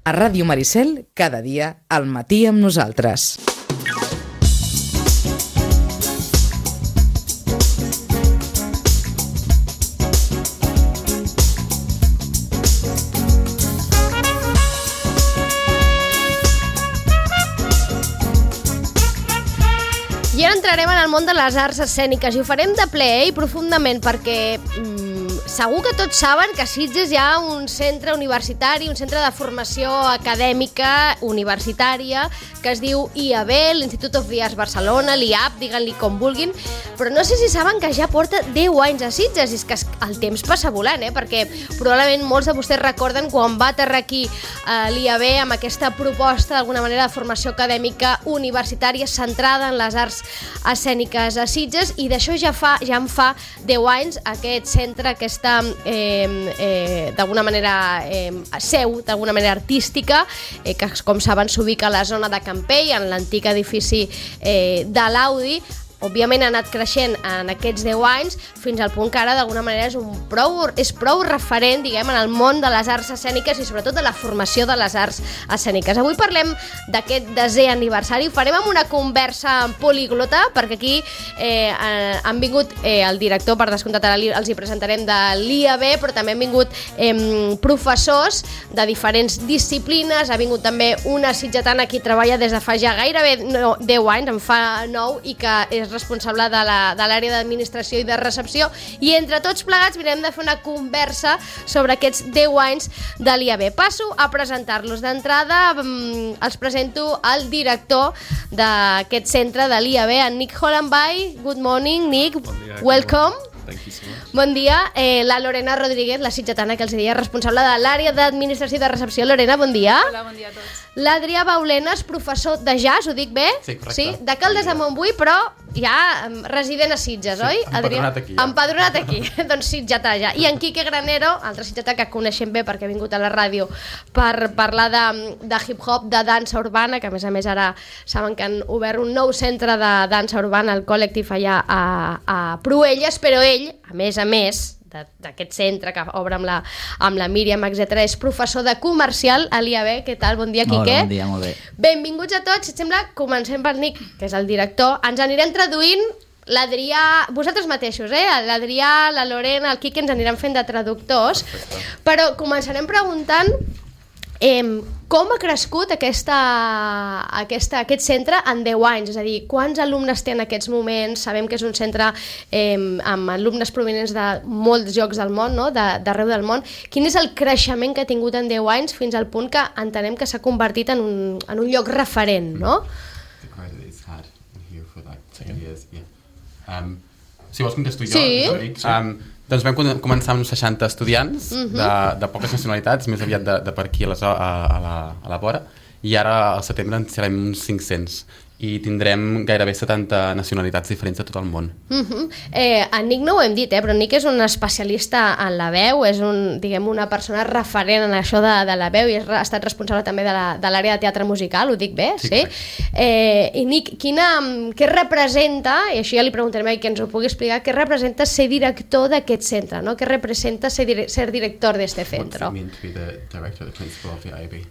A Ràdio Maricel, cada dia, al matí amb nosaltres. I ara entrarem en el món de les arts escèniques i ho farem de ple i profundament perquè segur que tots saben que a Sitges hi ha un centre universitari, un centre de formació acadèmica universitària que es diu IAB, l'Institut of the Arts Barcelona, l'IAB, diguin-li com vulguin, però no sé si saben que ja porta 10 anys a Sitges, i és que el temps passa volant, perquè probablement molts de vostès recorden quan va aterrar aquí l'IAB amb aquesta proposta d'alguna manera de formació acadèmica universitària centrada en les arts escèniques a Sitges, i d'això ja en fa 10 anys aquest centre, aquesta d'alguna manera seu, d'alguna manera artística, que com saben s'ubica a la zona de Campell, en l'antic edifici de l'Audi. Òbviament ha anat creixent en aquests 10 anys fins al punt que ara d'alguna manera és prou referent, diguem, en el món de les arts escèniques i sobretot de la formació de les arts escèniques. Avui parlem d'aquest 10è aniversari, ho farem amb una conversa poliglota, perquè aquí han vingut el director, per descomptat ara els hi presentarem, de l'IAB, però també han vingut professors de diferents disciplines, ha vingut també una sitgetana que treballa des de fa ja gairebé 10 anys, en fa 9, i que és responsable de l'àrea d'administració i de recepció, i entre tots plegats mirem de fer una conversa sobre aquests 10 anys de l'IAB. Passo a presentar-los. D'entrada els presento al director d'aquest centre de l'IAB, en Nick Hollenby. Good morning, Nick. Bon dia, welcome. Thank you so much. Bon dia. La Lorena Rodríguez, la sitgetana que els deia, responsable de l'àrea d'administració i de recepció. Lorena, bon dia. Hola, bon dia a tots. L'Adrià Baulenas, professor de jazz, ho dic bé? Sí, correcte. Sí, de Caldes de Montbui, però ja resident a Sitges, oi? Empadronat aquí. Empadronat aquí, doncs sitgetà ja. I en Quique Granero, altre sitgetà que coneixem bé perquè ha vingut a la ràdio per parlar de hip-hop, de dansa urbana, que a més ara saben que han obert un nou centre de dansa urbana, el Col·lectiu allà a Pruelles, però ell, a més d'aquest centre que obre amb la Míriam, etc., és professor de comercial a l'IAB. Què tal? Bon dia, Quique. Hola, bon dia, molt bé. Benvinguts a tots. Si et sembla, comencem pel Nick, que és el director. Ens anirem traduint l'Adrià, vosaltres mateixos, l'Adrià, la Lorena, el Quique ens aniran fent de traductors. Perfecte. Però començarem preguntant com ha crescut aquest centre en 10 anys, és a dir, quants alumnes té en aquests moments? Sabem que és un centre amb alumnes provenents de molts llocs del món, no? d'arreu del món. Quin és el creixement que ha tingut en 10 anys fins al punt que entenem que s'ha convertit en un lloc referent, no? The credit is had here for like 10 years, yeah. Si vols contesto jo, sí. Doncs vam començar amb uns 60 estudiants de poques nacionalitats, més aviat de per aquí a la vora, i ara al setembre en serem uns 500 i tindrem gairebé 70 nacionalitats diferents de tot el món. En Nick no ho hem dit, però Nick és un especialista en la veu, és una persona referent en això de la veu i ha estat responsable també de l'àrea de teatre musical, ho dic bé? Sí. I Nick, què representa, i això ja li preguntarem que ens ho pugui explicar, què representa ser director d'aquest centre, no? Què representa ser director d'este centre? What does it mean to be the director, the principal of the IAB?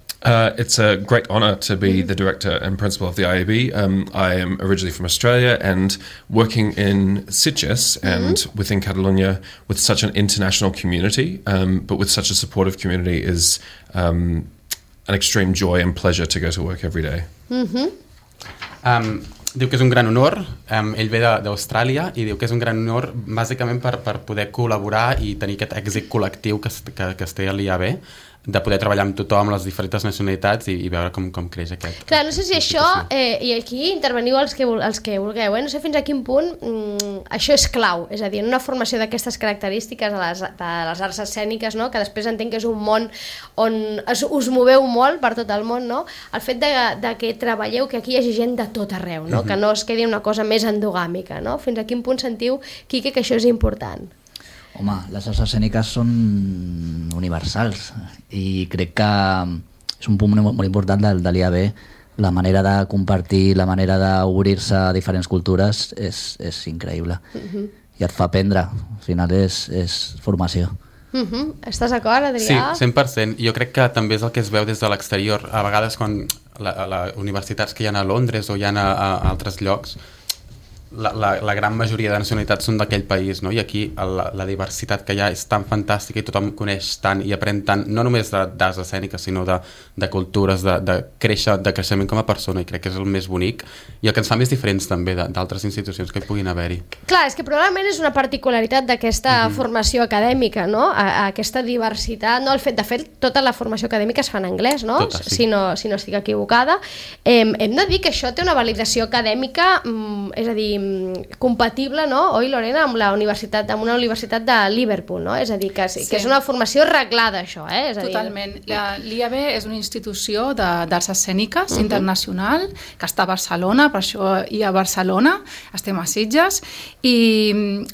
It's a great honour to be the director and principal of the IAB. I am originally from Australia and working in Sitges and within Catalonia with such an international community, but with such a supportive community is an extreme joy and pleasure to go to work every day. Diu que és un gran honor, ell ve d'Austràlia i diu que és un gran honor bàsicament per poder col·laborar i tenir aquest èxit col·lectiu que es té a l'IAB, de poder treballar amb tothom, les diferents nacionalitats i veure com creix aquest... Clar, no sé si això, i aquí interveniu els que vulgueu, no sé fins a quin punt això és clau, és a dir, en una formació d'aquestes característiques de les arts escèniques, no? Que després entenc que és un món on us moveu molt per tot el món, no? El fet de que treballeu, que aquí hi hagi gent de tot arreu, no? Que no es quedi una cosa més endogàmica, no? Fins a quin punt sentiu, Quique, que això és important? Home, les arts escèniques són universals i crec que és un punt molt important de l'IAB. La manera de compartir, la manera d'obrir-se a diferents cultures és increïble. I et fa aprendre, al final és formació. Estàs d'acord, Adrià? Sí, 100%. Jo crec que també és el que es veu des de l'exterior. A vegades quan les universitats que hi ha a Londres o hi ha a altres llocs, la gran majoria de nacionalitats són d'aquell país, no? I aquí la diversitat que hi ha és tan fantàstica i tothom coneix tant i aprèn tant, no només d'arts escèniques, sinó de cultures, de creixement com a persona, i crec que és el més bonic i el que ens fa més diferents també d'altres institucions que hi puguin haver-hi. Clar, és que probablement és una particularitat d'aquesta formació acadèmica, no? Aquesta diversitat, no? De fet, tota la formació acadèmica es fa en anglès, no? Tota, sí. Si no estic equivocada. Hem de dir que això té una validació acadèmica, és a dir, compatible, no? Oi, Lorena, amb una universitat de Liverpool, no? És a dir, que és una formació reglada, això, És a dir... Totalment. L'IAB és una institució d'arts escèniques internacional que està a Barcelona, per això hi a Barcelona, estem a Sitges, i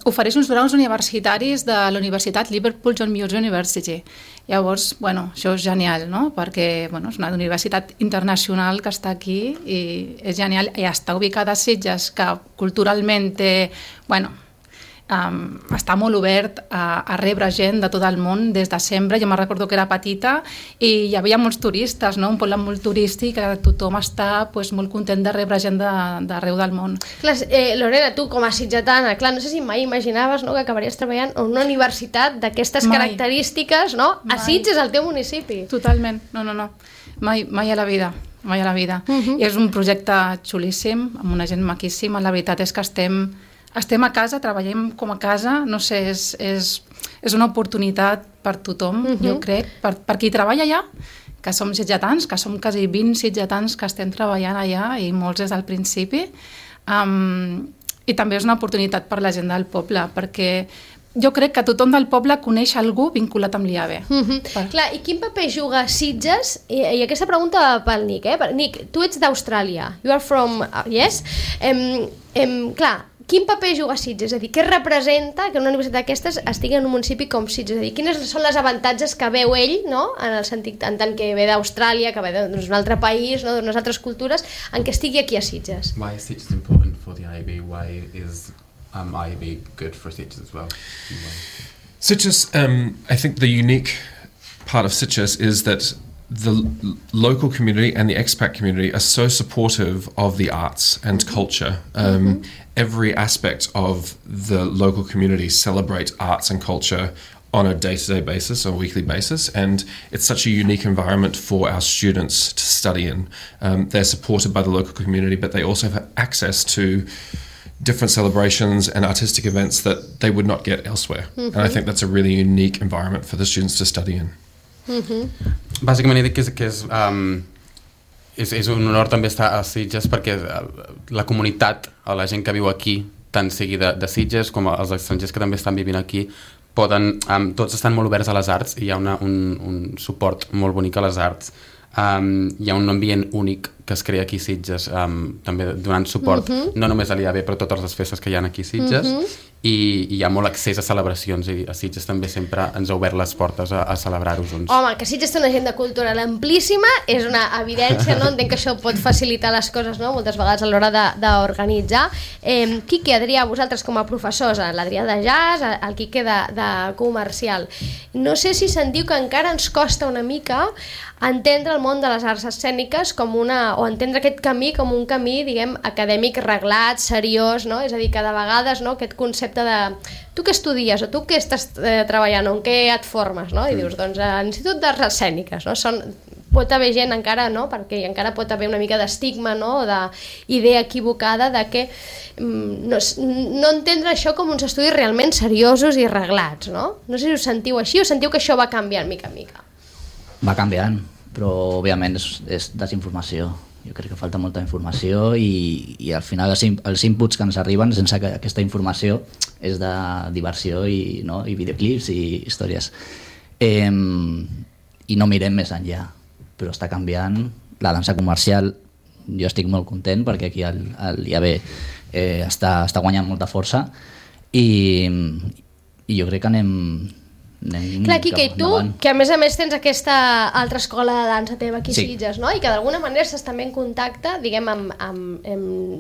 ofereix uns graus universitaris de la Universitat Liverpool John Moores University. Llavors, això és genial, no? Perquè és una universitat internacional que està aquí i és genial, i està ubicada a Sitges, que culturalment té, està molt obert a rebre gent de tot el món des de sempre. Jo me'n recordo que era petita i hi havia molts turistes, no? Un poble molt turístic, que tothom està molt content de rebre gent d'arreu del món. Clar, Lorena, tu com a sitgetana, no sé si mai imaginaves, no, que acabaries treballant en una universitat d'aquestes característiques, no? A Sitges, al teu municipi. Totalment, no. Mai a la vida. I és un projecte xulíssim, amb una gent maquíssima. La veritat és que estem a casa, treballem com a casa, no sé, és una oportunitat per tothom, jo crec, per qui treballa allà, que som sitgetans, que som quasi 20 sitgetans que estem treballant allà, i molts des del principi, i també és una oportunitat per la gent del poble, perquè jo crec que tothom del poble coneix algú vinculat amb l'IAB. Clar, i quin paper juga Sitges? I aquesta pregunta pel Nick, Nick, tu ets d'Austràlia. You are from... Yes? Clar, quin paper juga Sitges? És a dir, què representa que una universitat d'aquestes estigui en un municipi com Sitges? És a dir, quines són les avantatges que veu ell, no? En el sentit, en tant que ve d'Austràlia, que ve d'un altre país, no? D'unes altres cultures, en què estigui aquí a Sitges? Why is Sitges important for the IAB? Why is IAB good for Sitges as well? Sitges, I think the unique part of Sitges is that the local community and the expat community are so supportive of the arts and culture. Every aspect of the local community celebrates arts and culture on a day-to-day basis or weekly basis, and it's such a unique environment for our students to study in. They're supported by the local community, but they also have access to different celebrations and artistic events that they would not get elsewhere. And I think that's a really unique environment for the students to study in. Bàsicament he dit que és un honor també estar a Sitges, perquè la comunitat o la gent que viu aquí, tant sigui de Sitges com els estrangers que també estan vivint aquí, tots estan molt oberts a les arts i hi ha un suport molt bonic a les arts. Hi ha un ambient únic que es crea aquí a Sitges, també donant suport no només a l'IAB però a totes les festes que hi ha aquí a Sitges, i hi ha molt accés a celebracions, i a Sitges també sempre ens ha obert les portes a celebrar-ho junts. Home, que Sitges té una agenda cultural amplíssima és una evidència, no? Entenc que això pot facilitar les coses, no? Moltes vegades a l'hora d'organitzar. Quique, Adrià, vosaltres com a professors, l'Adrià de jazz, el Quique de comercial, no sé si sentiu que encara ens costa una mica entendre el món de les arts escèniques o entendre aquest camí com un camí, diguem, acadèmic reglat, seriós, no? És a dir, que de vegades, no, aquest concepte de tu què estudies o tu què estàs treballant o en què et formes, no? I dius, doncs, a l'Institut d'Arts Escèniques, no? Pot haver gent encara, no? Perquè encara pot haver una mica d'estigma, no? O d'idea equivocada de que no entendre això com uns estudis realment seriosos i reglats, no? No sé si us sentiu així o sentiu que això va canviant mica en mica. Va canviant, però òbviament és desinformació. Jo crec que falta molta informació i al final els inputs que ens arriben sense aquesta informació és de diversió i videoclips i històries. I no mirem més enllà, però està canviant. La dansa comercial, jo estic molt content perquè aquí al IAB està guanyant molta força i jo crec que Clar, Quique, i tu, que a més tens aquesta altra escola de dansa teva aquí a Sitges, no? I que d'alguna manera estàs també en contacte, diguem, amb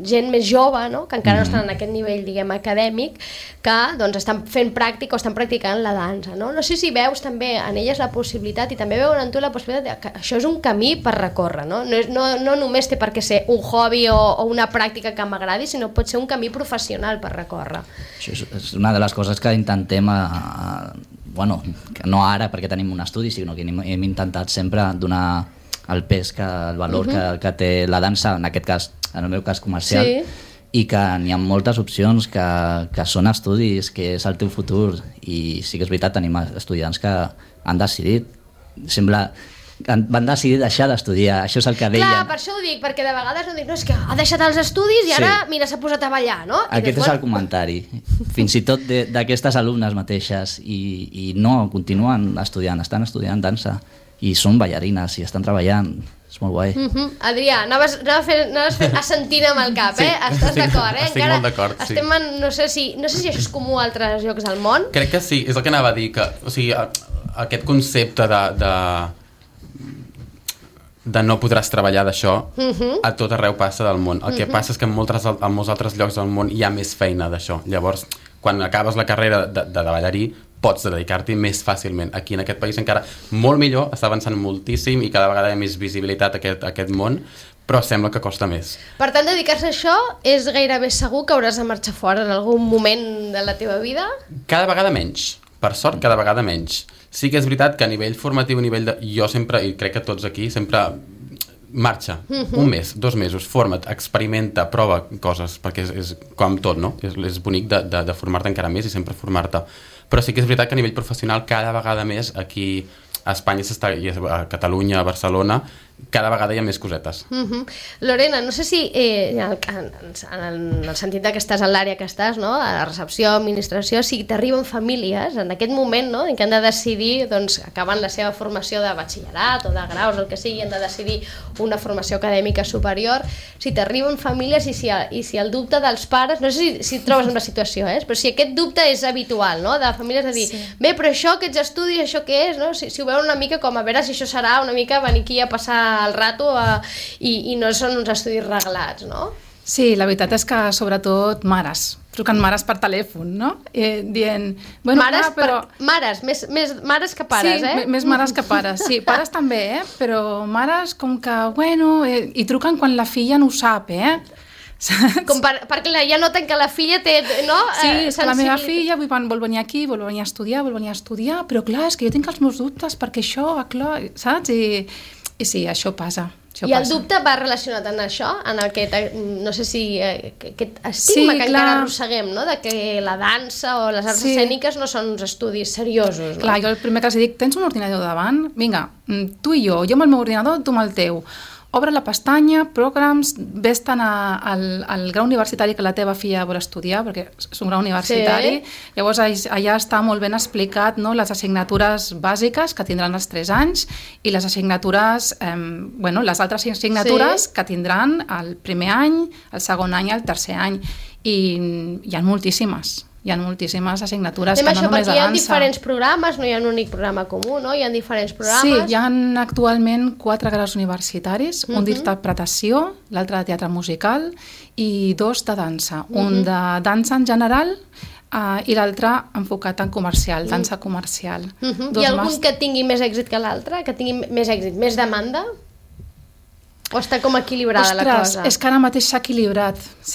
gent més jove, no? Que encara no estan en aquest nivell, diguem, acadèmic, que doncs estan fent pràctica o estan practicant la dansa, no? No sé si veus també en elles la possibilitat, i també veuen en tu la possibilitat que això és un camí per recórrer, no? No només té per què ser un hobby o una pràctica que m'agradi, sinó pot ser un camí professional per recórrer. Això és una de les coses que intentem, bueno, que no ara perquè tenim un estudi, sinó que hem intentat sempre donar el pes, el valor que té la dansa, en aquest cas, en el meu cas comercial, i que n'hi ha moltes opcions, que són estudis, que és el teu futur, i sí que és veritat, tenim estudiants que han decidit, van decidir deixar d'estudiar, això és el que deien. Clar, per això ho dic, perquè de vegades no dic, no, és que ha deixat els estudis i ara, mira, s'ha posat a ballar, no? Aquest és el comentari, fins i tot d'aquestes alumnes mateixes, i no, continuen estudiant, estan estudiant dansa, i són ballarines, i estan treballant, és molt guai. Adrià, anaves assentint amb el cap, Estàs d'acord, Estic molt d'acord, sí. Estem en, no sé si això és comú a altres llocs del món. Crec que sí, és el que anava a dir, que, o sigui, aquest concepte de no podràs treballar d'això, a tot arreu passa del món. El que passa és que en molts altres llocs del món hi ha més feina d'això. Llavors, quan acabes la carrera de ballarí, pots dedicar-t'hi més fàcilment. Aquí en aquest país encara molt millor, està avançant moltíssim i cada vegada hi ha més visibilitat a aquest món, però sembla que costa més. Per tant, dedicar-se a això és gairebé segur que hauràs de marxar fora en algun moment de la teva vida? Cada vegada menys. Per sort, cada vegada menys. Sí que és veritat que a nivell formatiu, jo sempre, i crec que tots aquí, sempre marxa. Un mes, 2 mesos, forma't, experimenta, prova coses, perquè és com tot, no? És bonic de formar-te encara més i sempre formar-te. Però sí que és veritat que a nivell professional cada vegada més aquí a Espanya, a Catalunya, a Barcelona, cada vegada hi ha més cosetes. Lorena, no sé si en el sentit que estàs a l'àrea que estàs, no? A la recepció, administració, si t'arriben famílies en aquest moment, no? En què han de decidir, doncs, acabant la seva formació de batxillerat o de graus, el que sigui, han de decidir una formació acadèmica superior, si t'arriben famílies i si el dubte dels pares, no sé si et trobes en la situació, però si aquest dubte és habitual, no? De famílies de dir, bé, però això, aquests estudis, això què és, no? Si ho veuen una mica com a veure si això serà una mica venir aquí a passar el rato i no són uns estudis reglats, no? Sí, la veritat és que sobretot mares, truquen mares per telèfon, no? Dient... Bueno, mares, més mares que pares, sí, més mares que pares, sí, pares també, però mares com que, bueno, i truquen quan la filla no ho sap, Com perquè ja noten que la filla té, no? Sí, la meva filla vol venir aquí, vol venir a estudiar, però clar, és que jo tinc els meus dubtes perquè això, clar, saps? I sí, això passa. I el dubte va relacionat amb això, en aquest, no sé si, aquest estigma que encara arrosseguem, no? De que la dansa o les arts escèniques no són uns estudis seriosos, no? Clar, jo el primer que els dic, tens un ordinador davant? Vinga, tu i jo amb el meu ordinador, tu amb el teu. Obre la pestanya, programs, vés-te'n al grau universitari que la teva filla vol estudiar, perquè és un grau universitari. Llavors allà està molt ben explicat, no, les assignatures bàsiques que tindran els 3 anys i les assignatures, les altres assignatures que tindran el primer any, el segon any i el tercer any. I hi ha moltíssimes. Hi ha moltíssimes assignatures que no només de dansa. Hi ha diferents programes, no hi ha un únic programa comú, no? Hi ha diferents programes. Sí, hi ha actualment 4 graus universitaris, un d'interpretació, l'altre de teatre musical i 2 de dansa. Un de dansa en general i l'altre enfocat en comercial, dansa comercial. Hi ha algun que tingui més èxit que l'altre? Que tingui més èxit, més demanda? O està com equilibrada la cosa? És que ara mateix s'ha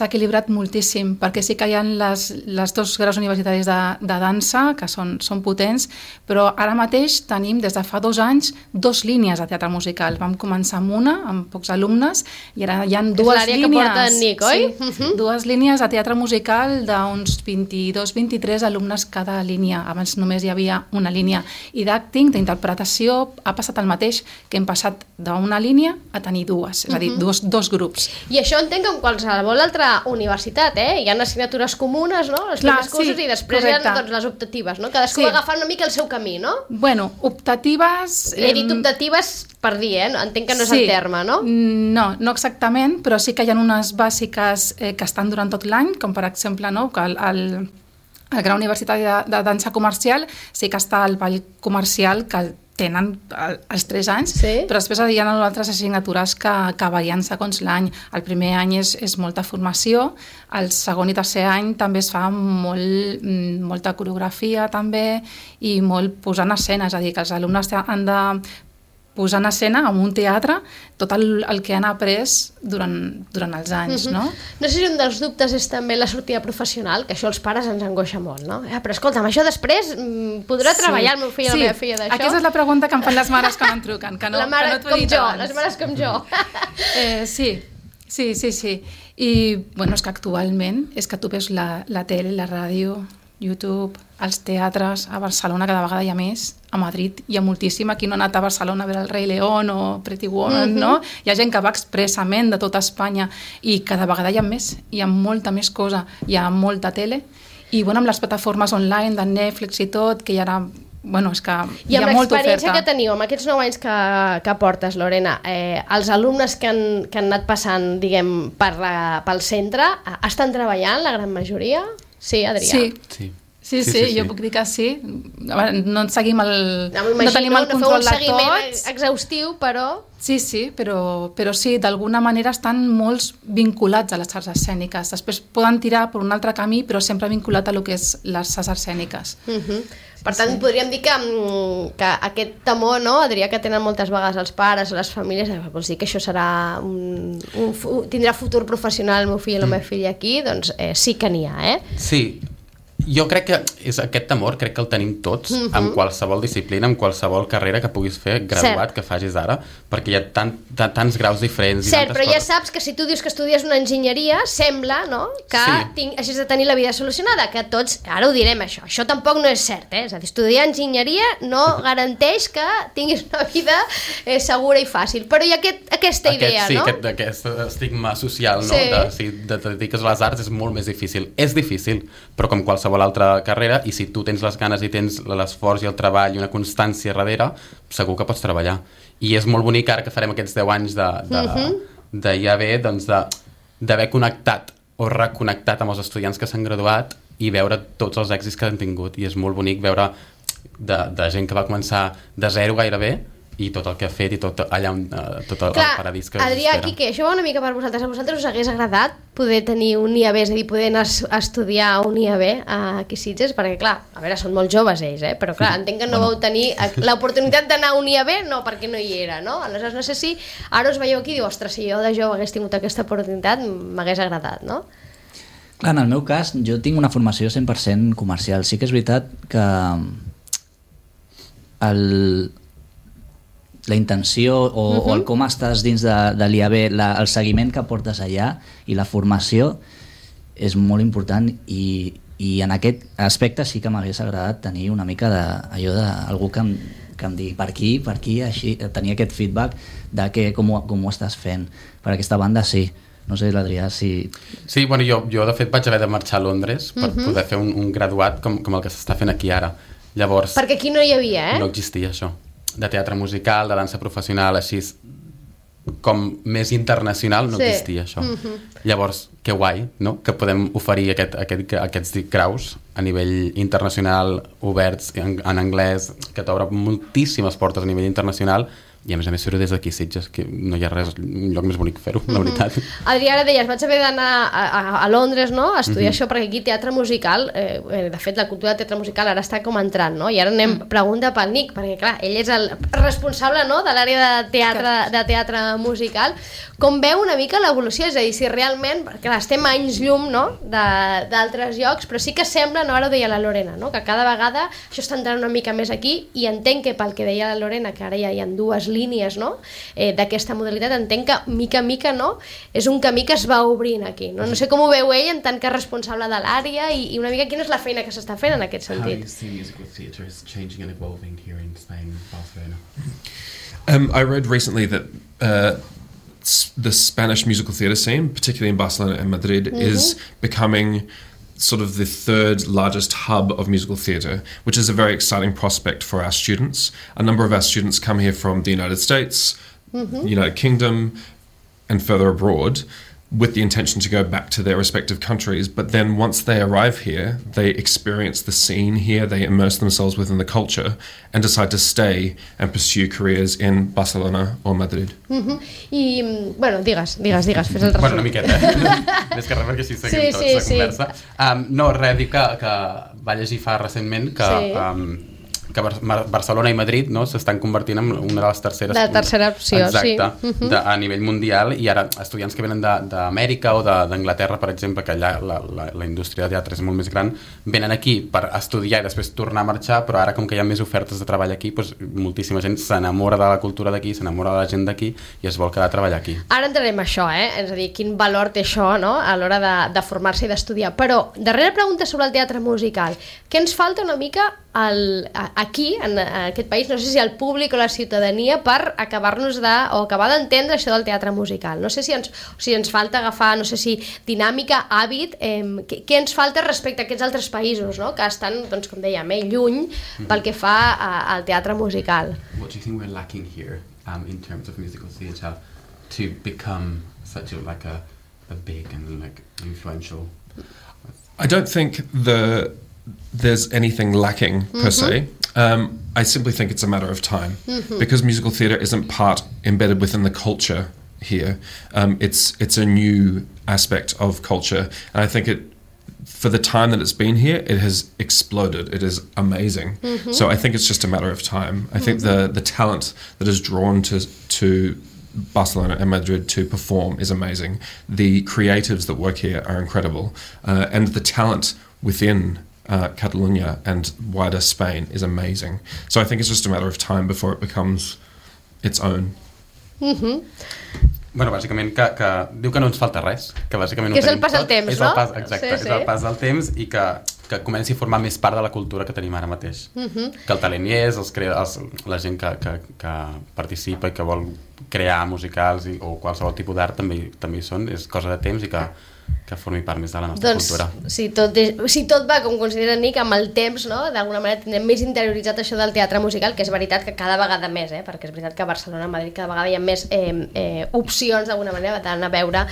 equilibrat moltíssim, perquè sí que hi ha les 2 graus universitaris de dansa, que són potents, però ara mateix tenim, des de fa 2 anys, 2 línies de teatre musical. Vam començar amb una, amb pocs alumnes, i ara hi ha 2 línies. És l'àrea que porta en Nic, oi? Sí, 2 línies de teatre musical d'uns 22-23 alumnes cada línia. Abans només hi havia una línia. I d'acting, d'interpretació, ha passat el mateix, que hem passat d'una línia a tenir 2. És a dir, dos grups. I això entenc que en qualsevol altra universitat, hi ha assignatures comunes, no? Els primers cursos i després hi ha les optatives, no? Cadascú va agafant una mica el seu camí, no? Bueno, optatives... He dit optatives per dir, entenc que no és el terme, no? No exactament, però sí que hi ha unes bàsiques que estan durant tot l'any, com per exemple, no? Que al Gran Universitat de Dansa Comercial sí que està el ball comercial que tenen els 3 anys, però després hi ha altres assignatures que varien segons l'any. El primer any és molta formació, el segon i tercer any també es fa molta coreografia també i molt posar en escena, és a dir, que els alumnes han de posar en escena en un teatre tot el que han après durant els anys, no? No sé si un dels dubtes és també la sortida professional, que això als pares ens angoixa molt, no? Però escolta'm, això després podrà treballar el meu fill o la meva filla d'això? Aquesta és la pregunta que em fan les mares quan em truquen, que no t'ho he dit abans. Les mares com jo. Sí. I, bueno, és que actualment és que tu veus la tele, la ràdio, YouTube, als teatres, a Barcelona cada vegada hi ha més, a Madrid hi ha moltíssim, aquí no ha anat a Barcelona a veure el Rei León o Pretty Woman, no? Hi ha gent que va expressament de tota Espanya i cada vegada hi ha més, hi ha molta més cosa, hi ha molta tele i bueno, amb les plataformes online de Netflix i tot, que hi ha bueno, és que hi ha molta oferta. I amb l'experiència que teniu, amb aquests 9 anys que portes, Lorena, els alumnes que han anat passant, diguem, pel centre, estan treballant, la gran majoria? Sí, Adrià? Sí, jo puc dir que sí. No en seguim no tenim el control de tots. No feu un seguiment exhaustiu, però... Sí, però sí, d'alguna manera estan molts vinculats a les arts escèniques. Després poden tirar per un altre camí, però sempre vinculat a lo que és les arts escèniques. Per tant, podríem dir que aquest temor, no, Adrià, que tenen moltes vegades els pares o les famílies, vols dir que això serà tindrà futur professional el meu fill o la meva filla aquí, doncs sí que n'hi ha, Sí. Jo crec que és aquest temor, crec que el tenim tots en qualsevol disciplina, en qualsevol carrera que puguis fer, graduat, que facis ara, perquè hi ha tants graus diferents. Cert, però ja saps que si tu dius que estudies una enginyeria, sembla, no?, que hagis de tenir la vida solucionada, que tots, ara ho direm això tampoc no és cert, és a dir, estudiar enginyeria no garanteix que tinguis una vida segura i fàcil, però hi ha aquesta idea, no? Sí, aquest estigma social, no?, de si te dediques a les arts és molt més difícil. És difícil, però com qualsevol altra carrera, i si tu tens les ganes i tens l'esforç i el treball i una constància darrere, segur que pots treballar. I és molt bonic ara que farem aquests 10 anys de IAB, doncs d'haver connectat o reconnectat amb els estudiants que s'han graduat i veure tots els èxits que han tingut. I és molt bonic veure de gent que va començar de zero gairebé i tot el que ha fet i tot allà tot el paradís que Adrià, Quique, això va una mica per vosaltres. A vosaltres us hagués agradat poder tenir un IAB, és a dir, poder anar a estudiar un IAB aquí a Sitges? Perquè, clar, a veure, són molt joves ells, però clar, entenc que no vau tenir l'oportunitat d'anar a un IAB, no, perquè no hi era, no? Aleshores, no sé si ara us veieu aquí i diu, ostres, si jo de jove hagués tingut aquesta oportunitat, m'hagués agradat, no? Clar, en el meu cas, jo tinc una formació 100% comercial. Sí que és veritat que la intenció o el com estàs dins de l'IAB, el seguiment que portes allà i la formació és molt important i en aquest aspecte sí que m'hagués agradat tenir una mica d'algú que em digui per aquí, així, tenir aquest feedback de com ho estàs fent. Per aquesta banda sí. No sé, l'Adrià, si... Sí, bueno, jo de fet vaig haver de marxar a Londres per poder fer un graduat com el que s'està fent aquí ara. Llavors... Perquè aquí no hi havia, No existia això. De teatre musical, de dansa professional, així com més internacional no existia això. Llavors, que guai, no?, que podem oferir aquests graus a nivell internacional, oberts en anglès, que t'obre moltíssimes portes a nivell internacional, i a més fer-ho des d'aquí, Sitges, que no hi ha res, un lloc més bonic fer-ho, la veritat. Adrià, ara deies, vaig haver d'anar a Londres, no?, a estudiar això, perquè aquí teatre musical, de fet la cultura de teatre musical ara està com entrant, no?, i ara anem pregunta pel Nick, perquè clar, ell és el responsable, no?, de l'àrea de teatre musical. Com veu una mica l'evolució? És a dir, si realment, clar, estem a anys llum, no?, d'altres llocs, però sí que sembla, no?, ara ho deia la Lorena, no?, que cada vegada això està entrant una mica més aquí, i entenc que pel que deia la Lorena, que ara ja hi ha dues línies, no?, d'aquesta modalitat, entenc que mica en mica, no?, és un camí que es va obrint aquí, no? No sé com ho veu ell en tant que responsable de l'àrea i una mica quina és la feina que s'està fent en aquest sentit. How do you see musical theatre is changing and evolving here in Spain, Barcelona? I read recently that the Spanish musical theatre scene, particularly in Barcelona and Madrid, is becoming sort of the third largest hub of musical theatre, which is a very exciting prospect for our students. A number of our students come here from the United States, United Kingdom, and further abroad. with the intention to go back to their respective countries, but then once they arrive here, they experience the scene here, they immerse themselves within the culture and decide to stay and pursue careers in Barcelona or Madrid. I, bueno, digues, fes el resum. Bueno, una miqueta, Més que res, perquè així seguim tots la conversa. No, res, dic que va llegir fa recentment que Barcelona i Madrid, no, s'estan convertint en una de les terceres... La tercera opció, exacte, a nivell mundial, i ara estudiants que venen d'Amèrica o d'Anglaterra, per exemple, que allà la indústria de teatre és molt més gran, venen aquí per estudiar i després tornar a marxar, però ara com que hi ha més ofertes de treball aquí, doncs moltíssima gent s'enamora de la cultura d'aquí, s'enamora de la gent d'aquí i es vol quedar a treballar aquí. Ara entrarem a això, és a dir, quin valor té això, no?, a l'hora de formar-se i d'estudiar. Però, darrera pregunta sobre el teatre musical. Què ens falta una mica aquí, en aquest país, no sé si el públic o la ciutadania, per acabar d'entendre això del teatre musical? No sé si ens falta agafar, no sé si dinàmica, hàbit, què ens falta respecte a aquests altres països, no?, que estan, doncs, com dèiem, lluny pel que fa al teatre musical. What do you think we're lacking here in terms of musical theatre to become such a big and influential? I don't think there's anything lacking per se. I simply think it's a matter of time because musical theatre isn't embedded within the culture here. It's a new aspect of culture, and I think for the time that it's been here, it has exploded. It is amazing. So I think it's just a matter of time. I think the talent that is drawn to Barcelona and Madrid to perform is amazing. The creatives that work here are incredible, and the talent within Catalonia and wider Spain is amazing. So I think it's just a matter of time before it becomes its own. Bueno, bàsicament que diu que no ens falta res, que bàsicament que és el pas del temps, no? Exacte, és el pas del temps i que comenci a formar més part de la cultura que tenim ara mateix. Que el talent hi és, la gent que participa i que vol crear musicals o qualsevol tipus d'art també hi són, és cosa de temps i que formi part més de la nostra cultura. Si tot va com considera Nick, amb el temps, no?, d'alguna manera tindrem més interioritzat això del teatre musical, que és veritat que cada vegada més, perquè és veritat que a Barcelona, a Madrid, cada vegada hi ha més opcions d'alguna manera d'anar a veure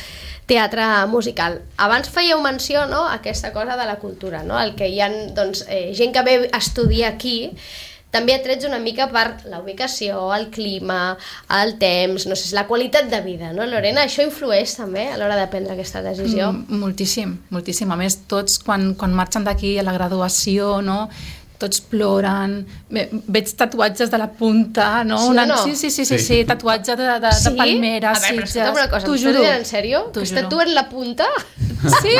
teatre musical. Abans fèieu menció, no?, a aquesta cosa de la cultura, no?, el que hi ha, doncs, gent que ve a estudiar aquí, també atrets una mica per la ubicació, el clima, el temps, no sé, la qualitat de vida, no, Lorena? Això influeix també a l'hora de prendre aquesta decisió? Moltíssim, moltíssim. A més, tots quan marxen d'aquí a la graduació, no?, tots ploren, veig tatuatges de la punta, no? Sí, tatuatge de palmera, a veure, però escolta'm una cosa, m'estàs dient en sèrio? Que es tatuen la punta? Sí.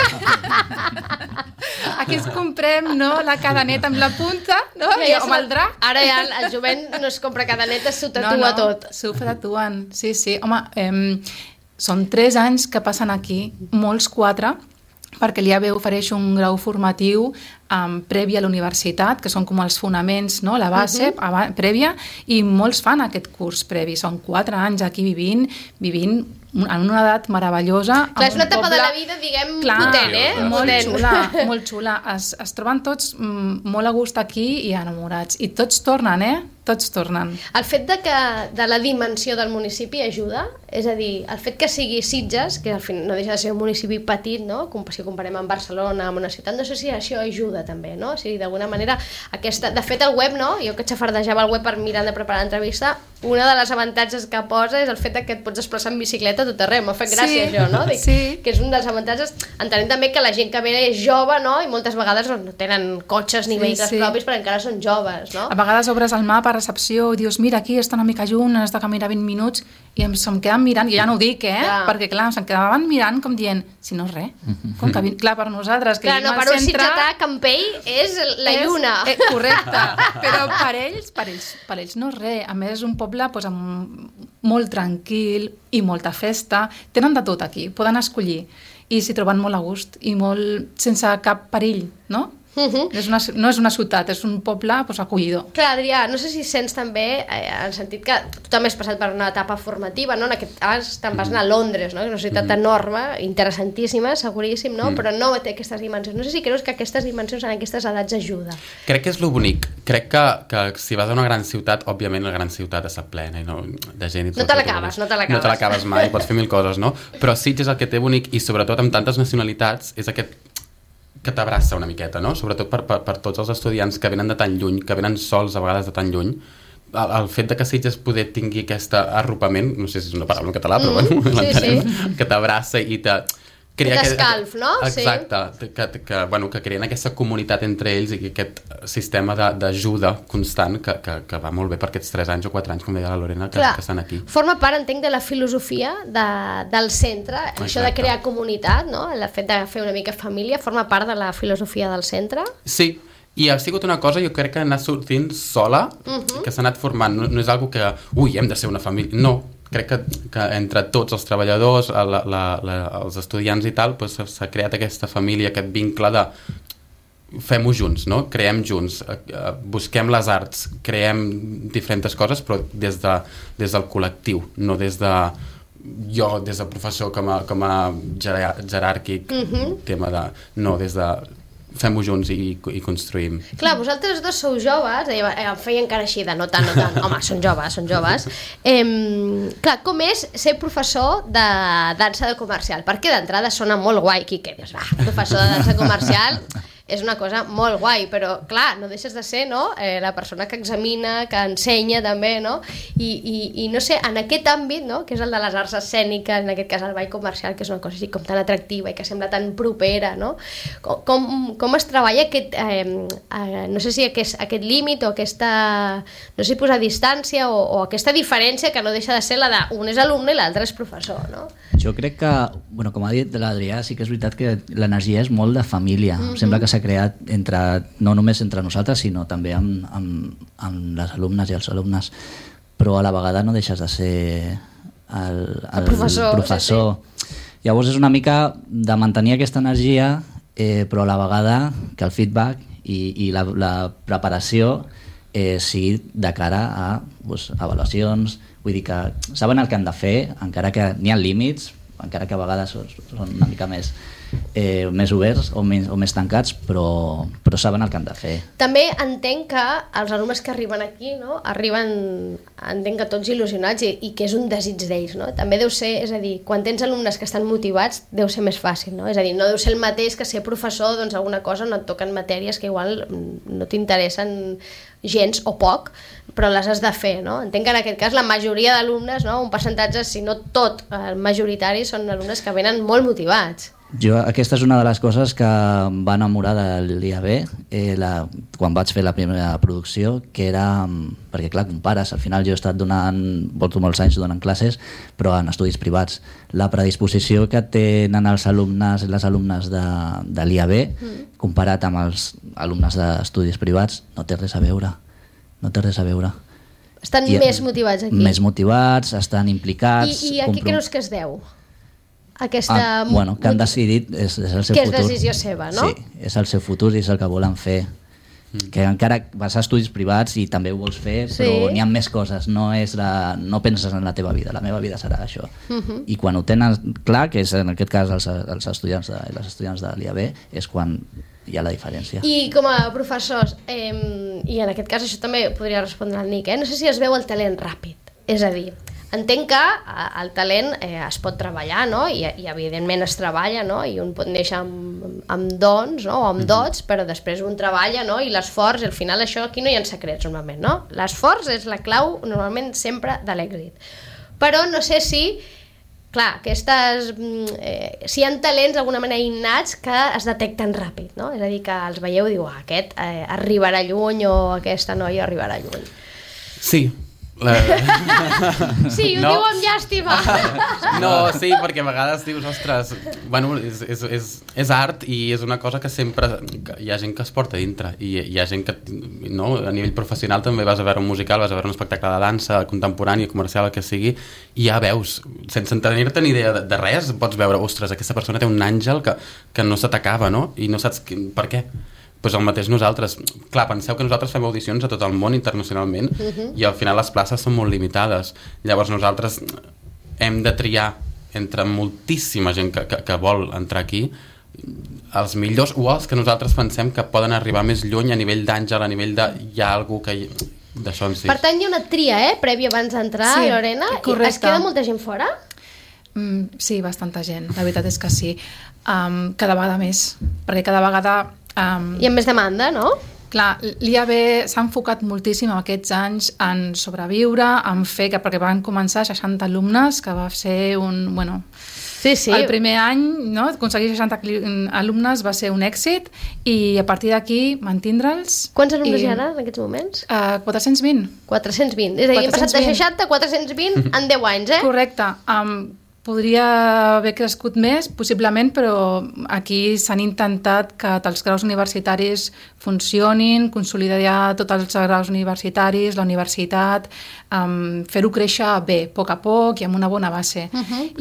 Aquí ens comprem, no?, la cadeneta amb la punta, no?, amb el drac. Ara ja el jovent no es compra cadenetes, s'ho tatua tot. S'ho tatuen, sí. Home, són 3 anys que passen aquí, molts 4, perquè l'IAB ofereix un grau formatiu previ a la universitat, que són com els fonaments, no?, la base prèvia, i molts fan aquest curs previ. Són 4 anys aquí vivint en una edat meravellosa. Clar, és una etapa de la vida, diguem, potent, Molt xula. Es troben tots molt a gust aquí i enamorats. I tots tornen, Tots tornen. El fet de la dimensió del municipi ajuda? És a dir, el fet que sigui Sitges, que al final no deixa de ser un municipi petit, no?, si ho comparem amb Barcelona, amb una ciutat, no sé si això ajuda també, no? O sigui, d'alguna manera, de fet, el web, no?, jo que xafardejava el web per mirar de preparar l'entrevista, una de les avantatges que posa és el fet que et pots desplaçar en bicicleta a tot arreu. M'ha fet gràcia això, no? Dic, que és un dels avantatges. Entenem també que la gent que ve és jove, no?, i moltes vegades no tenen cotxes ni vehicles propis perquè encara són joves, no? A vegades obres el mapa a recepció i dius, mira, aquí està una mica junt, has de caminar 20 minuts, i se'm queden mirant, i ja no ho dic, perquè clar, se'm quedaven mirant com dient, si no és res, com que, clar, per nosaltres, que vivim al centre... Per un sitgetà, Campell és la lluna. Correcte, però per ells no és res. A més, és un poble molt tranquil i molta festa. Tenen de tot aquí, poden escollir. I s'hi troben molt a gust i molt sense cap perill, no? No és una ciutat, és un poble acollidor. Clar, Adrià, no sé si sents també, en el sentit que tu també has passat per una etapa formativa, no? En aquest cas te'n vas anar a Londres, no? Una ciutat enorme, interessantíssima, seguríssim, no? Però no té aquestes dimensions. No sé si creus que aquestes dimensions en aquestes edats ajuda. Crec que és lo bonic. Crec que si vas a una gran ciutat, òbviament la gran ciutat està plena de gent. No te l'acabes. No te l'acabes mai, pots fer mil coses, no? Però Sitges el que té bonic, i sobretot amb tantes nacionalitats, és aquest que t'abraça una miqueta, no? Sobretot per tots els estudiants que venen de tan lluny, que venen sols a vegades de tan lluny. El fet de que Sitges poder tingui aquest arropament, no sé si és una paraula en català, però bueno, l'entenem, que t'abraça i t'escalf, no? Exacte, que creen aquesta comunitat entre ells i aquest sistema d'ajuda constant que va molt bé per aquests 3 anys o 4 anys, com deia la Lorena, que estan aquí. Forma part, entenc, de la filosofia del centre, això de crear comunitat, no? El fet de fer una mica família, forma part de la filosofia del centre? Sí, i ha sigut una cosa, jo crec que ha anat sortint sola, que s'ha anat formant, no és algo que, hem de ser una família, no. Crec que entre tots els treballadors, els estudiants i tal, s'ha creat aquesta família, aquest vincle de fem-ho junts, no? Creem junts, busquem les arts, creem diferents coses, però des del col·lectiu, no des de professor com a jeràrquic, tema de... No, des de... fem-ho junts i construïm. Clar, vosaltres dos sou joves, em feia encara així de no tant, home, són joves. Clar, com és ser professor de dansa de comercial? Perquè d'entrada sona molt guai, Quique, dius, professor de dansa comercial és una cosa molt guai, però clar, no deixes de ser, no? La persona que examina, que ensenya també, no? I no sé, en aquest àmbit, no? Que és el de les arts escèniques, en aquest cas el ball comercial, que és una cosa així com tan atractiva i que sembla tan propera, no? Com es treballa aquest, no sé si aquest límit o aquesta, no sé si posar distància o aquesta diferència que no deixa de ser la d'un és alumne i l'altre és professor, no? Jo crec que, bueno, com ha dit l'Adrià, sí que és veritat que l'energia és molt de família. Sembla que s'ha creat no només entre nosaltres, sinó també amb les alumnes i els alumnes, però a la vegada no deixes de ser el professor. Sí. Llavors és una mica de mantenir aquesta energia, però a la vegada que el feedback i la preparació sigui de cara a avaluacions. Vull dir que saben el que han de fer, encara que n'hi ha límits, encara que a vegades són una mica més oberts o més tancats, però saben el que han de fer. També entenc que els alumnes que arriben aquí, no? Entenc que tots il·lusionats i que és un desig d'ells, no? També deu ser, és a dir, quan tens alumnes que estan motivats deu ser més fàcil, no? És a dir, no deu ser el mateix que ser professor, doncs alguna cosa no et toquen matèries que igual no t'interessen gens o poc, però les has de fer, no? Entenc que en aquest cas la majoria d'alumnes, no? Un percentatge, si no tot, el majoritari, són alumnes que venen molt motivats. Aquesta és una de les coses que em va enamorar de l'IAB quan vaig fer la primera producció, que era, perquè clar, compares, al final jo he estat porto molts anys donant classes, però en estudis privats. La predisposició que tenen els alumnes i les alumnes de l'IAB comparat amb els alumnes d'estudis privats no té res a veure. Estan més motivats aquí. Més motivats, estan implicats. I a què creus que es deu? Que han decidit és el seu futur. Que és decisió seva, no? Sí, és el seu futur i és el que volen fer. Que encara vas a estudis privats i també ho vols fer, però n'hi ha més coses, no penses en la teva vida, la meva vida serà això. I quan ho tenen clar, que és en aquest cas els estudiants i les estudiants de l'IAB, és quan hi ha la diferència. I com a professors, i en aquest cas això també podria respondre al Nick, no sé si es veu el talent ràpid, és a dir, entenc que el talent es pot treballar, no? I evidentment es treballa, no? I un pot néixer amb dons, no? O amb dots, però després un treballa, no? I l'esforç, al final això aquí no hi ha secrets normalment, no? L'esforç és la clau normalment sempre de l'èxit. Però no sé si, clar, si hi ha talents d'alguna manera innats que es detecten ràpid, no? És a dir, que els veieu i diu, aquest arribarà lluny o aquesta noia arribarà lluny. Sí. Sí, ho diu amb llàstima. No, sí, perquè a vegades dius, ostres, bueno, és art i és una cosa que sempre hi ha gent que es porta dintre i hi ha gent que, no, a nivell professional també vas a veure un musical, vas a veure un espectacle de dansa contemporani, comercial, el que sigui, i ja veus, sense tenir-te ni idea de res, pots veure, ostres, aquesta persona té un àngel que no se t'acaba, no? I no saps per què. Doncs el mateix nosaltres. Clar, penseu que nosaltres fem audicions a tot el món internacionalment i al final les places són molt limitades. Llavors nosaltres hem de triar entre moltíssima gent que vol entrar aquí els millors o els que nosaltres pensem que poden arribar més lluny a nivell d'àngel, a nivell de... hi ha algú que... d'això en si. Per tant, hi ha una tria, prèvia abans d'entrar, Sí, Lorena. correcte. Es queda molta gent fora? Sí, bastanta gent, la veritat és que sí. Cada vegada més, perquè cada vegada... Hi ha més demanda, no? Clar, l'IAB s'ha enfocat moltíssim en aquests anys en sobreviure, en fer que, perquè van començar 60 alumnes, que va ser un... Bueno, Sí. el primer any, no, aconseguir 60 alumnes va ser un èxit i a partir d'aquí mantindre'ls... Quants alumnes hi ha ara en aquests moments? 420. 420. És a dir, hem passat de 60 a 420 en 10 anys, Correcte. Podria haver crescut més, possiblement, però aquí s'han intentat que els graus universitaris funcionin, consolidar tots els graus universitaris, la universitat, fer-ho créixer bé, a poc i amb una bona base.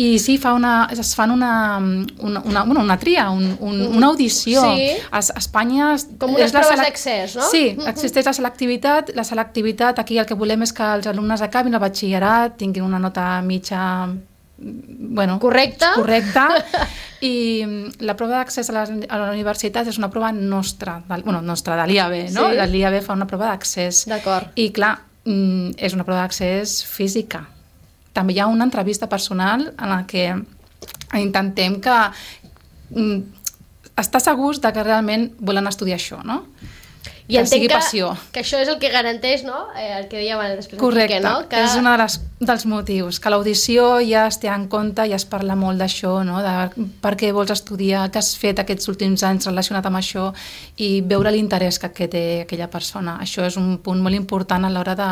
I sí, es fan una tria, una audició. Sí. A Espanya... Com unes proves d'accés, no? Sí, existeix la selectivitat. La selectivitat, aquí el que volem és que els alumnes acabin el batxillerat, tinguin una nota mitja... Bueno, correcte i la prova d'accés a la universitat és una prova nostra, de l'IAB, no? Sí. L'IAB fa una prova d'accés. D'acord. I clar, és una prova d'accés física. També hi ha una entrevista personal en la que intentem que estar segurs de que realment volen estudiar això, no? I que sigui entenc passió. que això és el que garanteix, no? El que dèiem després. Correcte, no? Que... és un dels motius, que l'audició ja es té en compte, ja es parla molt d'això, no? De per què vols estudiar, què has fet aquests últims anys relacionat amb això i veure l'interès que té aquella persona. Això és un punt molt important a l'hora de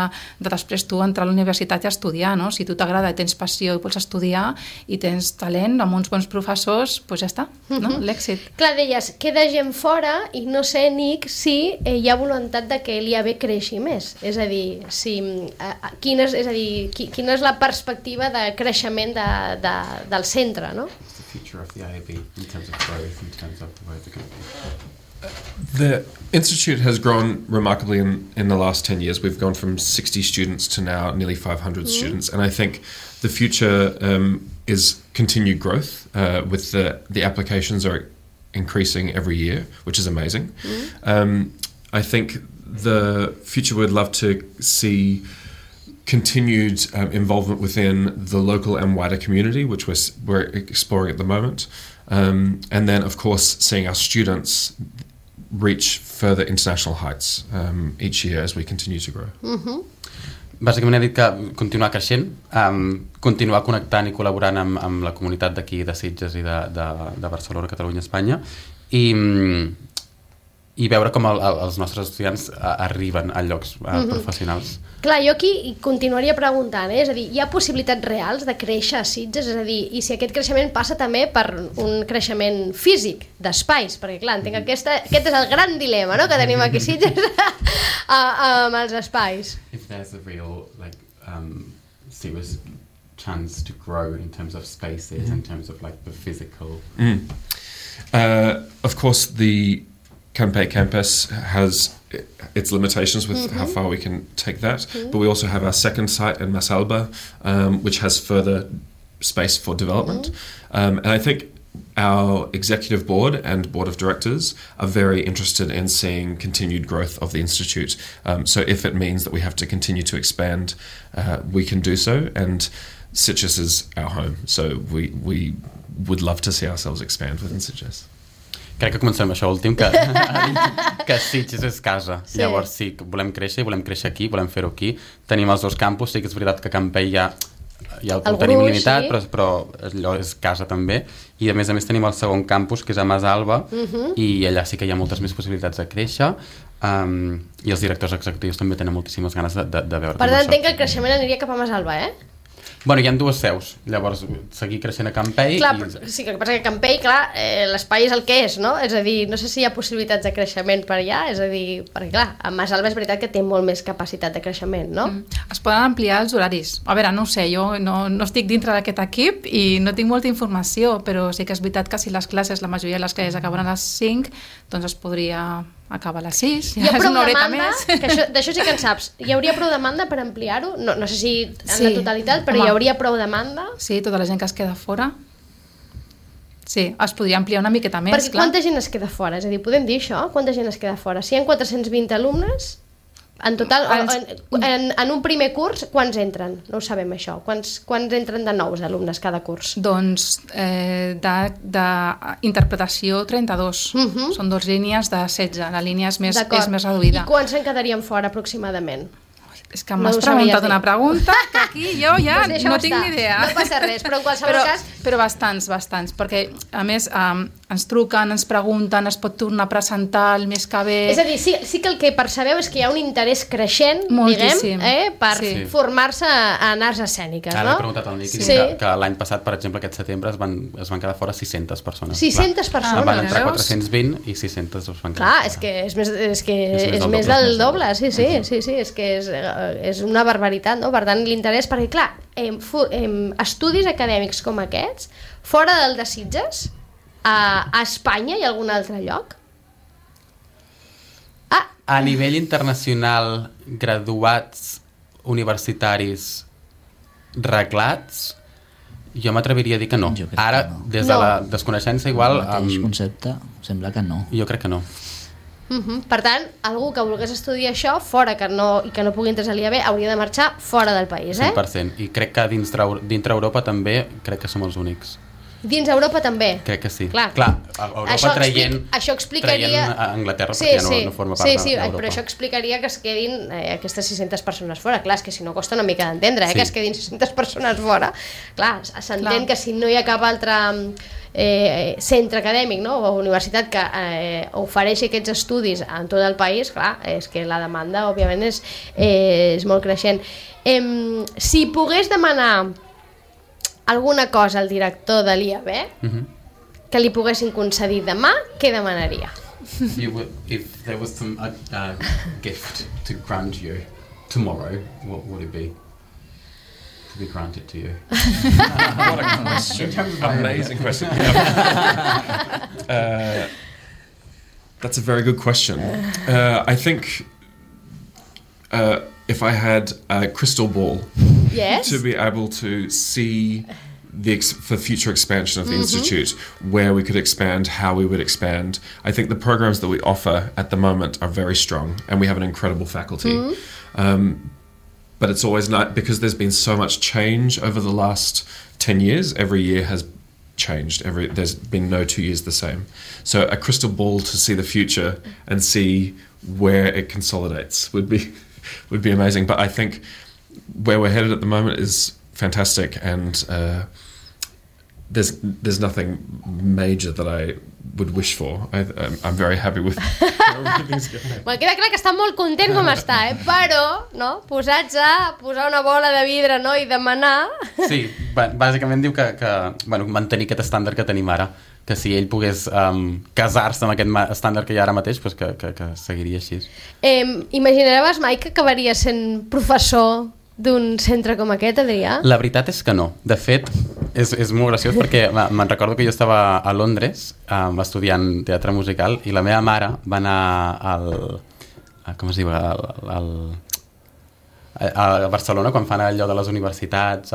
després tu entrar a la universitat i estudiar, no? Si tu t'agrada i tens passió i vols estudiar i tens talent amb uns bons professors, doncs ja està, no? L'èxit. Clar, deies, queda gent fora i no sé, Nick, si hi ha voluntat de que l'IAB creixi més. És a dir, quina és la perspectiva de creixement del centre, no? What's the future of the IAB in terms of growth, in terms of where the company? The Institute has grown remarkably in the last 10 years. We've gone from 60 students to now nearly 500 students. And I think the future is continued growth with the applications are increasing every year, which is amazing. I think the future would love to see continued involvement within the local and wider community, which we're exploring at the moment. And then, of course, seeing our students reach further international heights each year as we continue to grow. Bàsicament he dit que continuar creixent, continuar connectant i col·laborant amb la comunitat d'aquí de Sitges i de Barcelona, Catalunya, Espanya i veure com els nostres estudiants arriben a llocs professionals. Clar, jo aquí continuaria preguntant, és a dir, hi ha possibilitats reals de créixer a Sitges? És a dir, i si aquest creixement passa també per un creixement físic, d'espais, perquè clar, entenc que aquest és el gran dilema, no?, que tenim aquí a Sitges amb els espais. If there's a real, serious chance to grow in terms of spaces, in terms of the physical... Of course, the Campay campus has its limitations with how far we can take that, but we also have our second site in Masalba, which has further space for development. And I think our executive board and board of directors are very interested in seeing continued growth of the Institute. So if it means that we have to continue to expand, we can do so. And Sitges is our home, so we would love to see ourselves expand within Sitges. Crec que comencem amb això últim, que Sitges és casa. Sí. Llavors sí, volem créixer aquí, volem fer-ho aquí. Tenim els dos campus, sí que és veritat que Campell ja ho tenim limitat, sí. però allò és casa també. I a més tenim el segon campus, que és a Masalba, i allà sí que hi ha moltes més possibilitats de créixer. I els directors executius també tenen moltíssimes ganes de veure com això. Per tant, entenc que el creixement aniria cap a Masalba, Bueno, hi ha dues seus, llavors seguir creixent a Campell... Clar, sí, que passa que Campell, clar, l'espai és el que és, no? És a dir, no sé si hi ha possibilitats de creixement per allà, és a dir, perquè clar, a Masalba és veritat que té molt més capacitat de creixement, no? Es poden ampliar els horaris. A veure, no ho sé, jo no estic dintre d'aquest equip i no tinc molta informació, però sí que és veritat que si les classes, la majoria de les classes acaben a les 5, doncs es podria acaba a les 6, Hi ha ja és prou una horeta demanda, més. que d'això sí que en saps. Hi hauria prou demanda per ampliar-ho? No sé si en Sí. la totalitat, però Home. hi hauria prou demanda? Sí, tota la gent que es queda fora. Sí, es podria ampliar una miqueta més, Perquè clar. quanta gent es queda fora? És a dir, podem dir això? Quanta gent es queda fora? Si hi ha 420 alumnes, en total, en un primer curs, quants entren? No ho sabem, això. Quants entren de nous alumnes cada curs? Doncs d'interpretació 32. Són 2 línies de 16. La línia és més reduïda. I quants se'n quedarien fora aproximadament? És que m'has preguntat una pregunta que aquí jo ja Pues no tinc ni idea. No passa res, però en qualsevol cas... Però bastants, perquè a més ens truquen, ens pregunten, es pot tornar a presentar el mes que ve... És a dir, sí que el que percebeu és que hi ha un interès creixent, moltíssim, diguem, per formar-se en arts escèniques, no? Ara he preguntat al Niqui que l'any passat, per exemple, aquest setembre es van quedar fora 600 persones. 600 persones? Van entrar 420 i 600 es van quedar fora. Clar, és que és més del doble, sí, és que és una barbaritat, no? Per tant, l'interès, perquè clar, estudis acadèmics com aquests, fora del de Sitges, a Espanya i a algun altre lloc? A nivell internacional, graduats universitaris reglats, jo m'atreviria a dir que no. Ara, des de la desconeixença, igual... El mateix concepte, sembla que no. Jo crec que no. Per tant, algú que volgués estudiar això fora i que no pugui entrar a l'IAB hauria de marxar fora del país, 100%. I crec que dintre Europa també crec que som els únics. Dins Europa també? Crec que sí. Clar, Europa això explicaria... a Anglaterra perquè ja no forma part d'Europa. Però això explicaria que es quedin aquestes 600 persones fora. Clar, és que si no costa una mica d'entendre, que es quedin 600 persones fora. Clar, s'entén que si no hi ha cap altre centre acadèmic, no? O universitat que ofereixi aquests estudis en tot el país, clar, és que la demanda, òbviament, és molt creixent. Si pogués demanar alguna cosa al director de l'IAB que li poguessin concedir demà, què demanaria? If there was a gift to grant you tomorrow, what would it be? To be granted to you. What a question. Amazing question. That's a very good question. I think if I had a crystal ball to be able to see the future expansion of the Institute, where we could expand, how we would expand. I think the programs that we offer at the moment are very strong, and we have an incredible faculty. But it's always not, because there's been so much change over the last 10 years. Every year has changed. There's been no 2 years the same. So a crystal ball to see the future and see where it consolidates would be amazing. But I think where we're headed at the moment is fantastic, and there's nothing major that I would wish for. I'm very happy with where everything's going. Bueno, queda clar que està molt content com està, però posats a posar una bola de vidre, no? I demanar... Sí, bàsicament diu que mantenir aquest estàndard que tenim ara, que si ell pogués casar-se amb aquest estàndard que hi ha ara mateix, doncs que seguiria així. Imaginaves mai que acabaria sent professor d'un centre com aquest, Adrià? La veritat és que no. De fet, és molt graciós perquè me'n recordo que jo estava a Londres estudiant teatre musical i la meva mare va anar com es diu? A Barcelona, quan fan allò de les universitats...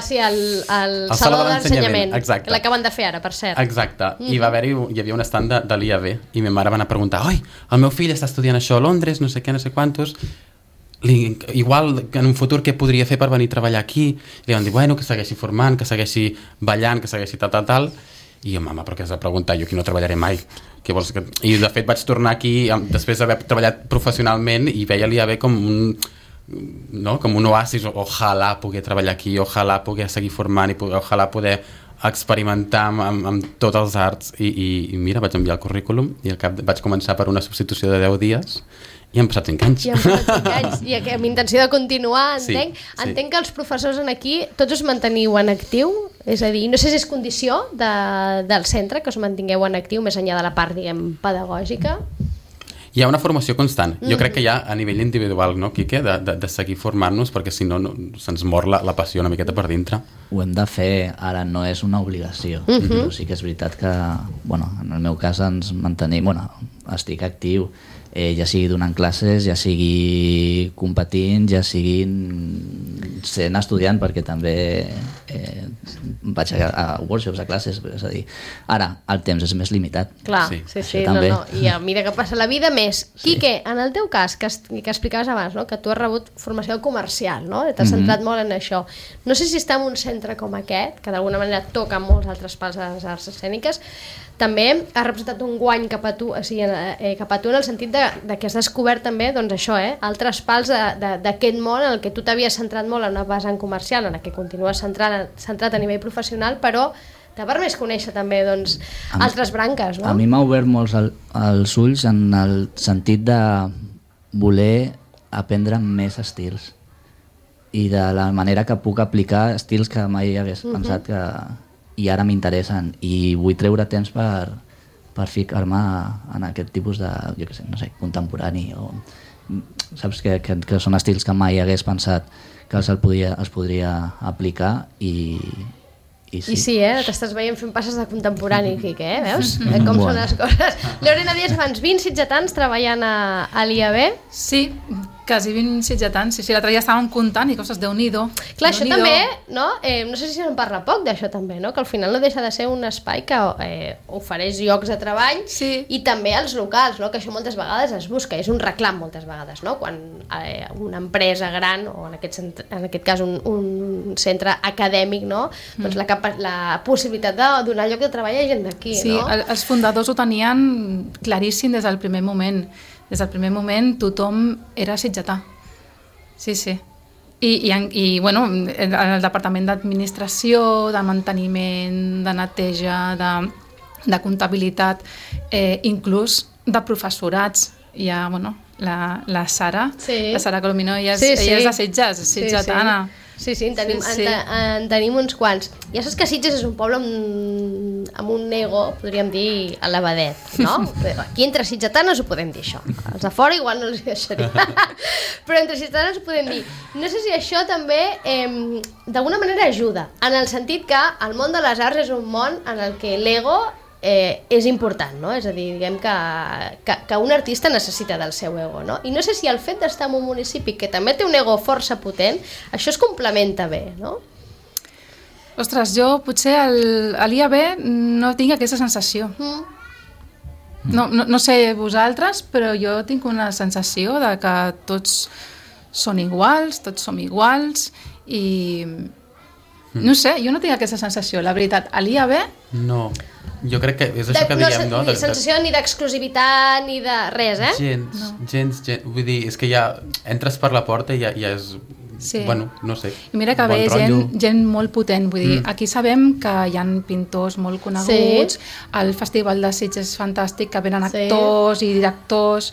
Sí, el Saló de l'Ensenyament, exacte. Que l'acaben de fer ara, per cert. Exacte, i hi havia un estand de l'IAB i ma mare va anar a preguntar: oi, el meu fill està estudiant això a Londres, no sé què, no sé quantos... igual en un futur què podria fer per venir a treballar aquí, li van dir, bueno, que segueixi formant, que segueixi ballant, que segueixi tal, i jo, mama, però què has de preguntar? Jo aquí no treballaré mai. Què vols que... I de fet vaig tornar aquí després d'haver treballat professionalment i veia l'IAB com un oasis. Ojalà poder treballar aquí, ojalà poder seguir formant i ojalà poder experimentar amb tots els arts i mira, vaig enviar el currículum i al cap vaig començar per una substitució de 10 dies i han passat 5 anys. I han passat 5 anys, i amb intenció de continuar, entenc. Sí. Entenc que els professors aquí tots us manteniu en actiu, és a dir, no sé si és condició del centre que us mantingueu en actiu més enllà de la part, diguem, pedagògica. Hi ha una formació constant. Jo crec que hi ha a nivell individual, no, Quique, de seguir formant-nos, perquè si no se'ns mor la passió una miqueta per dintre. Ho hem de fer, ara no és una obligació, però sí que és veritat que, en el meu cas ens mantenim, estic actiu, ja sigui donant classes, ja sigui competint, ja sigui sent estudiant, perquè també vaig a workshops, a classes, és a dir, ara el temps és més limitat. Clar, Sí. sí, També. I a mesura que passa la vida més. Quique, en el teu cas, que explicaves abans, no? Que tu has rebut formació comercial, no? T'has centrat molt en això. No sé si estar en un centre com aquest, que d'alguna manera toca molts altres pals a les arts escèniques, també ha representat un guany cap a tu, o sigui, cap a tu en el sentit de que has descobert també, doncs això, altres pals d'aquest món en el que tu t'havies centrat molt en una vessant comercial, en el que continues centrat a nivell professional, però t'ha permès conèixer també doncs, altres branques, no? A mi m'ha obert molts els ulls en el sentit de voler aprendre més estils i de la manera que puc aplicar estils que mai hagués pensat que... i ara m'interessen i vull treure temps per ficar-me en aquest tipus de, jo què sé, no sé, contemporani o saps que són estils que mai hagués pensat que es podria aplicar i sí. I sí, t'estàs veient fent passes de contemporani, Quique, veus? Com són les coses. Lorena Díaz, abans 20 sitgetans treballant a l'IAB. Sí, quasi 20 sitgetans. Sí, l'altre dia estàvem comptant i coses, Déu-n'hi-do. Clar, això també, no? No sé si se'n parla poc d'això també, no? Que al final no deixa de ser un espai que ofereix llocs de treball i també als locals, no? Que això moltes vegades es busca, és un reclam moltes vegades, no? Quan una empresa gran, o en aquest cas un centre acadèmic, no? Doncs la possibilitat de donar lloc de treball a gent d'aquí, sí, no? Sí, els fundadors ho tenien claríssim des del primer moment. Des del primer moment tothom era sitgetà. Sí, sí. I bueno, el departament d'administració, de manteniment, de neteja, de comptabilitat, inclús de professorats. Hi ha, bueno, la Sara, la Sara Colomino, ella és de Sitges, és sitgetana. Sí, en tenim uns quants. Ja saps que Sitges és un poble amb un ego, podríem dir, elevadet, no? Aquí entre sitgetanes ho podem dir, això. Els de fora igual no els deixaria. Però entre sitgetanes ho podem dir. No sé si això també d'alguna manera ajuda, en el sentit que el món de les arts és un món en el que l'ego és important, no? És a dir, diguem que un artista necessita del seu ego, no? I no sé si el fet d'estar en un municipi que també té un ego força potent, això es complementa bé, no? Ostres, jo potser a l'IAB no tinc aquesta sensació. No sé vosaltres, però jo tinc una sensació de que tots són iguals, tots som iguals i... No sé, jo no tinc aquesta sensació, la veritat. A l'IAB... No, jo crec que és això que diem, no? Ni sensació ni d'exclusivitat ni de res, Gens, vull dir, és que ja entres per la porta i ja és... Sí. Bueno, no sé. I mira que ve gent molt potent, vull dir, aquí sabem que hi ha pintors molt coneguts, al Festival de Sitges és fantàstic, que venen actors i directors...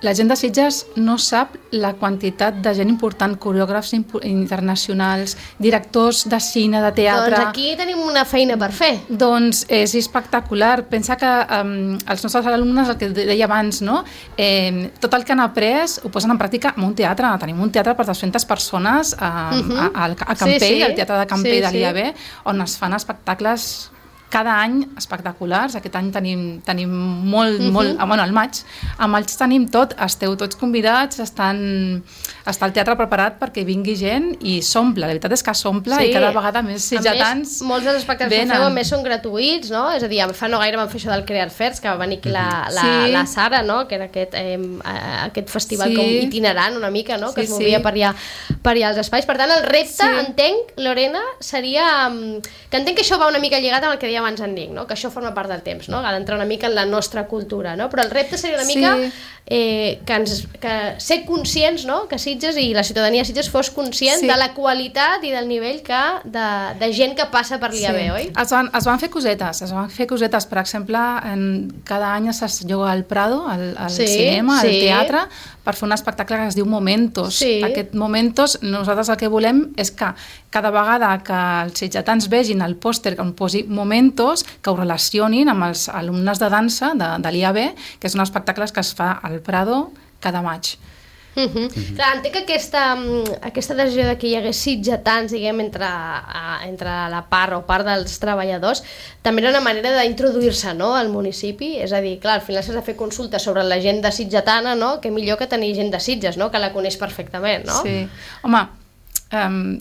La gent de Sitges no sap la quantitat de gent important, coreògrafs internacionals, directors de cine, de teatre... Doncs aquí tenim una feina per fer. Doncs és espectacular. Pensa que els nostres alumnes, el que deia abans, no? Tot el que han après ho posen en pràctica en un teatre. Tenim un teatre per 200 persones a Campell, al Teatre de Campell de l'IAB, on es fan espectacles cada any espectaculars. Aquest any tenim molt, bueno, al maig tenim tot, esteu tots convidats, està el teatre preparat perquè vingui gent i s'omple, la veritat és que s'omple i cada vegada més sitgetans venen. Molts dels espectacles que feu a més són gratuïts, no? És a dir, fa no gaire vam fer això del Crear Fairs, que va venir aquí la Sara, no? Que era aquest festival com itinerant una mica, no? Que es movia per allà als espais. Per tant, el repte, entenc, Lorena, seria que entenc que això va una mica lligat amb el que deia abans en Nick, no? Que això forma part del temps, no? Ha d'entrar una mica en la nostra cultura, no? Però el repte seria una mica que ser conscients, no? Que Sitges i la ciutadania de Sitges fos conscient de la qualitat i del nivell de gent que passa per l'IAB, oi? Es van fer cosetes, per exemple, cada any es lloga al Prado, al cinema, al teatre, per fer un espectacle que es diu Momentos. Aquest Momentos, nosaltres el que volem és que cada vegada que els sitgetans vegin el pòster que on posi Momentos, que ho relacionin amb els alumnes de dansa de l'IAB, que són espectacles que es fa al Prado cada maig. Clar, entenc que aquesta decisió de que hi hagués sitgetans, diguem, entre la part dels treballadors, també era una manera d'introduir-se, no?, al municipi. És a dir, clar, al final s'has de fer consultes sobre la gent de sitgetana, no?, que millor que tenir gent de Sitges, no?, que la coneix perfectament, no? Sí. Home,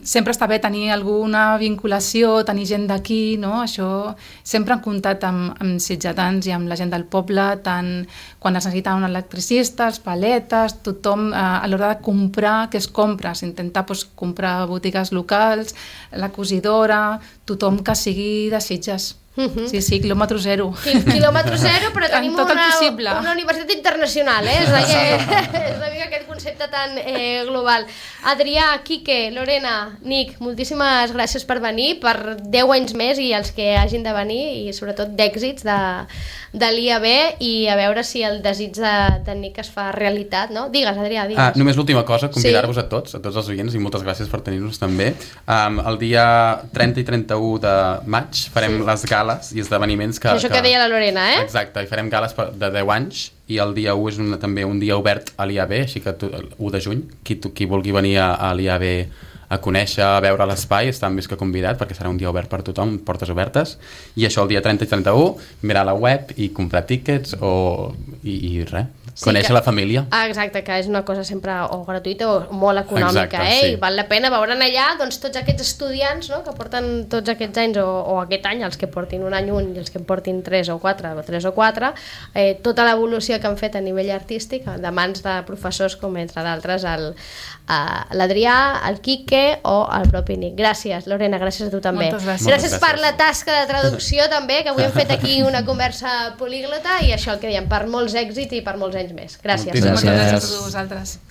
sempre està bé tenir alguna vinculació, tenir gent d'aquí, no? Això sempre en comptat amb sitgetans i amb la gent del poble, tant quan es necessita un electricista, els paletes, tothom a l'hora de comprar, què es compra? S'intenta comprar a botigues locals, la cosidora, tothom que sigui de Sitges. Sí, quilòmetre zero. Quilòmetre zero, però tenim tot el possible. Una universitat internacional, és una mica aquest concepte tan global. Adrià, Quique, Lorena, Nick, moltíssimes gràcies per venir, per 10 anys més i els que hagin de venir, i sobretot d'èxits de l'IAB, i a veure si el desig de Nick es fa realitat, no? Digues, Adrià, digues. Només l'última cosa, convidar-vos a tots els oients, i moltes gràcies per tenir-nos també. El dia 30 i 31 de maig farem les gales i esdeveniments que... Això que deia la Lorena, Exacte, i farem gales de 10 anys, i el dia 1 és també un dia obert a l'IAB, així que 1 de juny, qui vulgui venir a l'IAB a conèixer, a veure l'espai, està més que convidat, perquè serà un dia obert per tothom, portes obertes, i això el dia 30 i 31, mirar la web i comprar tíquets i res, conèixer la família. Exacte, que és una cosa sempre o gratuïta o molt econòmica, sí. I val la pena veure'n allà doncs, tots aquests estudiants, no?, que porten tots aquests anys o aquest any, els que portin un any i els que en portin 3 o 4, tota l'evolució que han fet a nivell artístic de mans de professors com, entre d'altres, l'Adrià, el Quique o el propi Nick. Gràcies, Lorena, gràcies a tu també. Moltes gràcies. Gràcies per la tasca de traducció també, que avui hem fet aquí una conversa políglota, i això el que diem, per molts èxits i per molts anys més. Gràcies. Moltes gràcies a vosaltres.